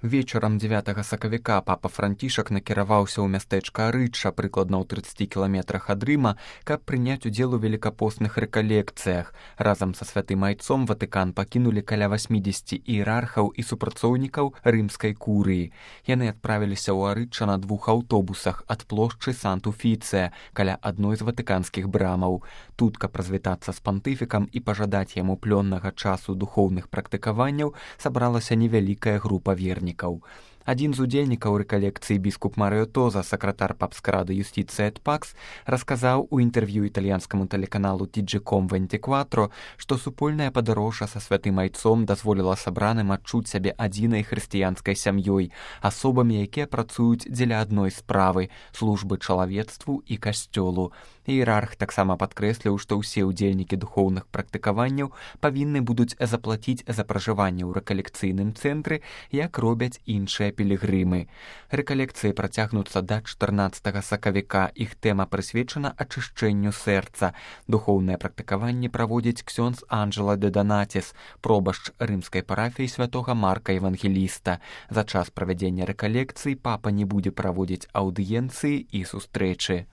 Вечарам 9 сакавіка папа Францішак накіраваўся ў мястэчка Арыча, прыкладна ў 30 кіламетрах ад Рыма, каб прыняць удзел у велікапостных рэкалекцыях. Разам са святым айцом Ватыкан пакінулі каля 80 іерархаў і супрацоўнікаў рымскай курыі. Яны адправіліся ў Арыча на 2 аўтобусах ад плошчы Сант-Уфіцыя, каля адной з ватыканскіх брамаў. Тут, каб развітацца з пантыфікам і пажадаць яму плённага часу духоўных практыкаванняў, сабралася невялікая група вернікаў. Адзін з удзельнікаў рэкалекцыі біскуп Марыо Тоза, сакратар папскай рады юстыцыі эт Пакс, расказаў у інтэрв'ю італьянскаму тэлеканалу TG.com24, што супольная падарожжа са святым айцом дазволіла сабраным адчуць сябе адзінай хрысціянскай сям'ёй, асобамі, якія працуюць дзеля адной справы – службы чалавецтву і касцёлу. Іерарх таксама падкрэсліў, што ўсе ўдзельнікі духоўных практыкаванняў павінны будуць заплаціць за пражыванне ў рэкалекцыйным цэнтры, як робяць іншыя пілігрымы. Рэкалекцыі працягнуцца да 14 сакавіка. Іх тэма прысвечана ачышчэнню сэрца. Духоўнае практыкаванне праводзіць ксёндз Анджела де Донатис, пробашч рымскай парафіі святога Марка Евангеліста. За час правядзення рэкалекцыі папа не будзе праводзіць аўдыенцыі і сустрэчы.